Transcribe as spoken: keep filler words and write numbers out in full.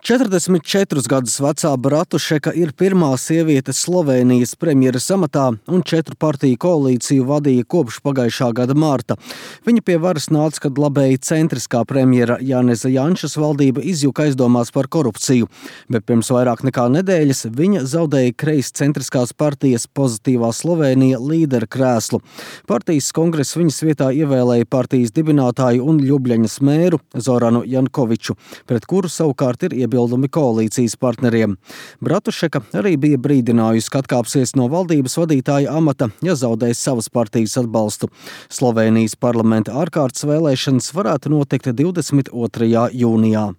četrdesmit četrus gadus vecā Bratušeka ir pirmā sieviete Slovēnijas premjeras amatā un četru partiju koalīciju vadīja kopš pagājušā gada marta. Viņa pie varas nāca, kad labēji centriskā premjera Janeza Janšas valdība izjuka aizdomās par korupciju, bet pirms vairāk nekā nedēļas viņa zaudēja kreis centriskās partijas Pozitīvā Slovēnija līdera krēslu. Partijas kongress viņas vietā ievēlēja partijas dibinātāju un Ļubļaņas mēru Zoranu Jankoviču, pret kuru savukārt ir iebilduši Bildumi koalīcijas partneriem. Bratušeka arī bija brīdinājusi, ka atkāpsies no valdības vadītāja amata, ja zaudēs savas partijas atbalstu. Slovēnijas parlamenta ārkārtas vēlēšanas varētu notikt divdesmit otrajā jūnijā.